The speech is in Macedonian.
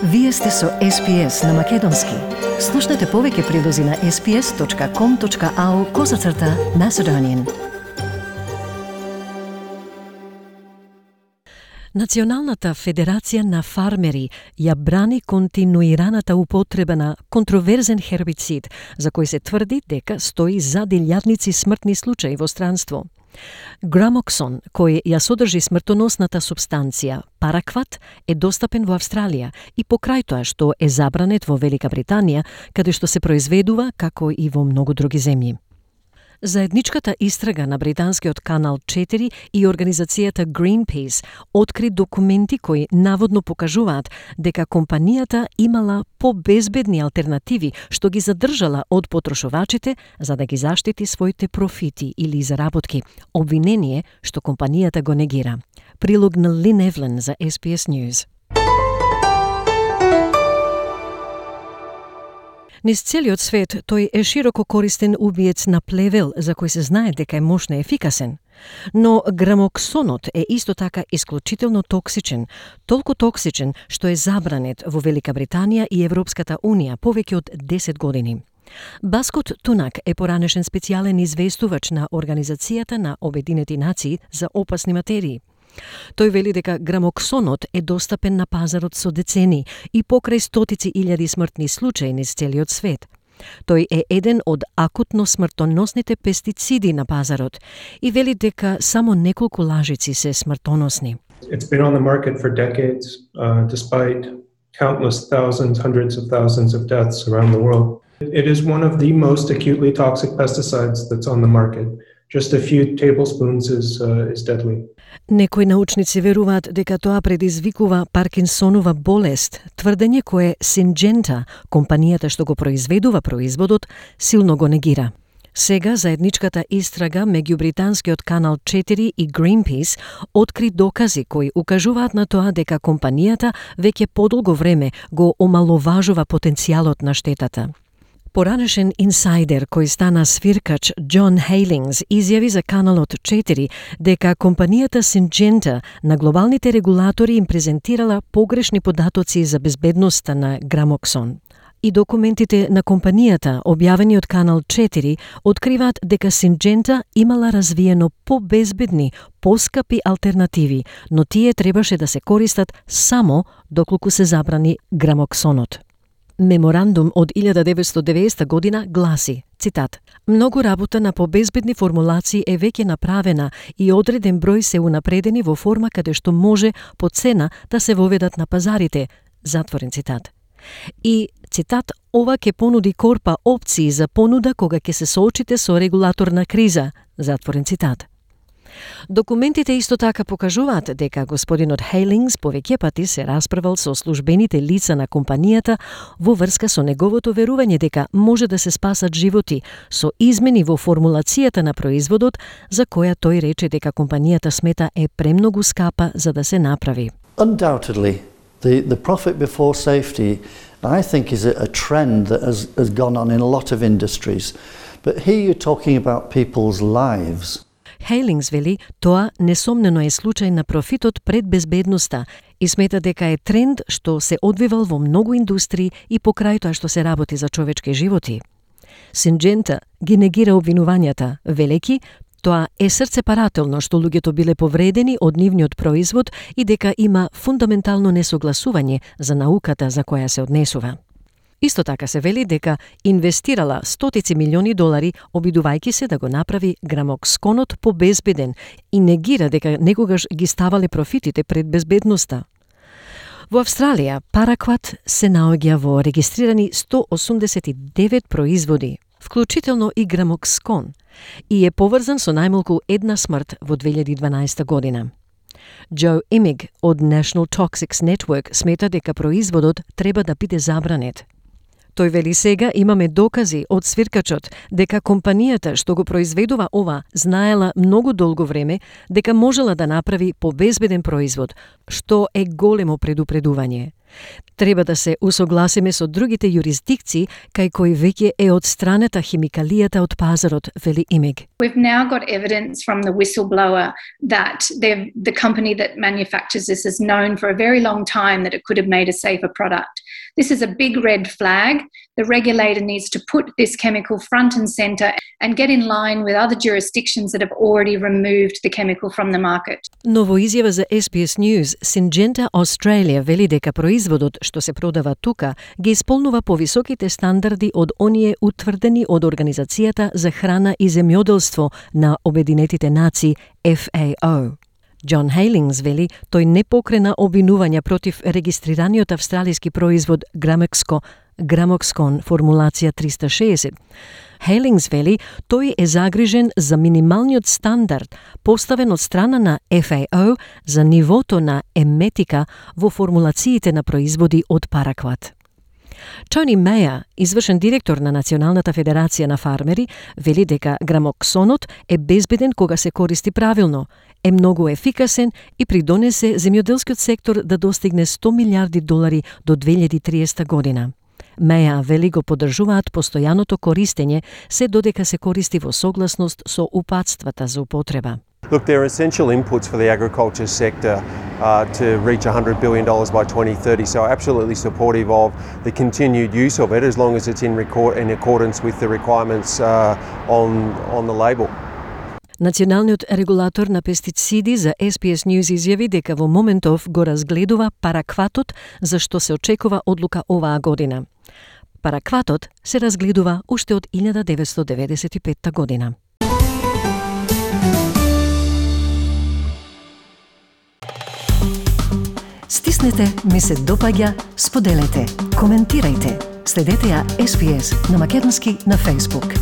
Вие сте со SPS на Македонски. Слушнете повеќе прилози на sps.com.au/Macedonian. Националната федерација на фармери ја брани континуираната употреба на контроверзен хербицид, за кој се тврди дека стои зад илјадници смртни случаи во странство. Грамоксон, кој ја содржи смртоносната супстанција паракват, е достапен во Австралија и покрај тоа што е забранет во Велика Британија, каде што се произведува како и во многу други земји. Заедничката истрага на британскиот канал 4 и организацијата Greenpeace откри документи кои наводно покажуваат дека компанијата имала побезбедни алтернативи што ги задржала од потрошувачите за да ги заштити своите профити или заработки, обвинение што компанијата го негира. Прилог на Лин Евлен за SPS News. Низ целиот свет тој е широко користен убиец на плевел за кој се знае дека е мощно ефикасен. Но грамоксонот е исто така исклучително токсичен, толку токсичен што е забранет во Велика Британија и Европската Унија повеќе од 10 години. Баскот Тунак е поранешен специјален известувач на Организацијата на Обединети нации за опасни материи. Тој вели дека грамоксонот е достапен на пазарот со децени и покрај стотици илјади смртни случаи низ целиот свет. Тој е еден од акутно смртоносните пестициди на пазарот и вели дека само неколку лажици се смртоносни. It's been on the market for decades, despite countless thousands, hundreds of thousands of deaths around the world. It is one of the most acutely toxic pesticides that's on the market. Just a few tablespoons is deadly. Некои научници веруваат дека тоа предизвикува Паркинсонова болест, тврдење кое Синджента, компанијата што го произведува производот, силно го негира. Сега заедничката истрага меѓу британскиот канал 4 и Greenpeace откри докази кои укажуваат на тоа дека компанијата веќе подолго време го омаловажува потенцијалот на штетата. Поранешен инсайдер кој стана свиркач Џон Хейлингс изјави за каналот 4 дека компанијата Синджента на глобалните регулатори им презентирала погрешни податоци за безбедноста на грамоксон. И документите на компанијата, објавени од канал 4, откриваат дека Синджента имала развиено побезбедни, поскапи алтернативи, но тие требаше да се користат само доколку се забрани грамоксонот. Меморандум од 1990 година гласи, цитат, многу работа на побезбедни формулации е веќе направена и одреден број се унапредени во форма каде што може по цена да се воведат на пазарите, затворен цитат. И, цитат, ова ќе понуди корпа опции за понуда кога ќе се соочите со регулаторна криза, затворен цитат. Документите исто така покажуваат дека господинот Хейлингс повеќе пати се расправал со службените лица на компанијата во врска со неговото верување дека може да се спасат животи со измени во формулацијата на производот за која тој рече дека компанијата смета е премногу скапа за да се направи. Undoubtedly, the profit before safety, I think, is a trend that has gone on in a lot of industries. But here you're talking about people's lives. Хейлингс вели, тоа несомнено е случај на профитот пред безбедноста и смета дека е тренд што се одвивал во многу индустрии и покрај тоа што се работи за човечки животи. Синджента ги негира обвинувањата, велеки, тоа е срцепарателно што луѓето биле повредени од нивниот производ и дека има фундаментално несогласување за науката за која се однесува. Исто така се вели дека инвестирала стотици милиони долари обидувајќи се да го направи грамоксонот побезбеден и негира дека некогаш ги ставале профитите пред безбедноста. Во Австралија паракват се наоѓа во регистрирани 189 производи, вклучително и грамоксон, и е поврзан со најмалку една смрт во 2012 година. Джо Имиг од National Toxics Network смета дека производот треба да биде забранет. Тој вели сега имаме докази од свиркачот дека компанијата што го произведува ова знаела многу долго време дека можела да направи побезбеден производ, што е големо предупредување. Треба да се усогласиме со другите юрисдикции кај кои веќе е одстранета химикалијата од пазарот, вели Имиг. We've now got evidence from the whistleblower that the company that manufactures this has known for a very long time that it could have made a safer product. This is a big red flag. The regulator needs to put this chemical front and centre and get in line with other jurisdictions that have already removed the chemical from the market. Но во изјава за SBS News, Syngenta Australia вели дека производот што се продава тука ги исполнува повисоките стандарди од оние утврдени од Организацијата за храна и земјоделство на Обединетите нации FAO. Џон Хейлингс вели тој не покрена обвинувања против регистрираниот австралиски производ Gramoxone формулација 360. Хейлингс вели тој е загрижен за минималниот стандард поставен од страна на FAO за нивото на еметика во формулациите на производи од паракват. Тони Меја, извршен директор на Националната федерација на фармери, вели дека грамоксонот е безбеден кога се користи правилно, е многу ефикасен и придонесе земјоделскиот сектор да достигне $100 милиарди до 2030 година. Меја вели го поддржуваат постојаното користење се додека се користи во согласност со упатствата за употреба. Look, they're essential inputs for the agriculture sector to reach $100 billion by 2030, so absolutely supportive of the continued use of it as long as it's in accordance with the requirements on the label. Националниот регулатор на пестициди за SBS News изјави дека во моментов го разгледува паракватот за што се очекува одлука оваа година. Паракватот се разгледува уште од 1995 година. Стиснете, ми се допаѓа, споделете, коментирајте. Следете ја SBS на македонски на Facebook.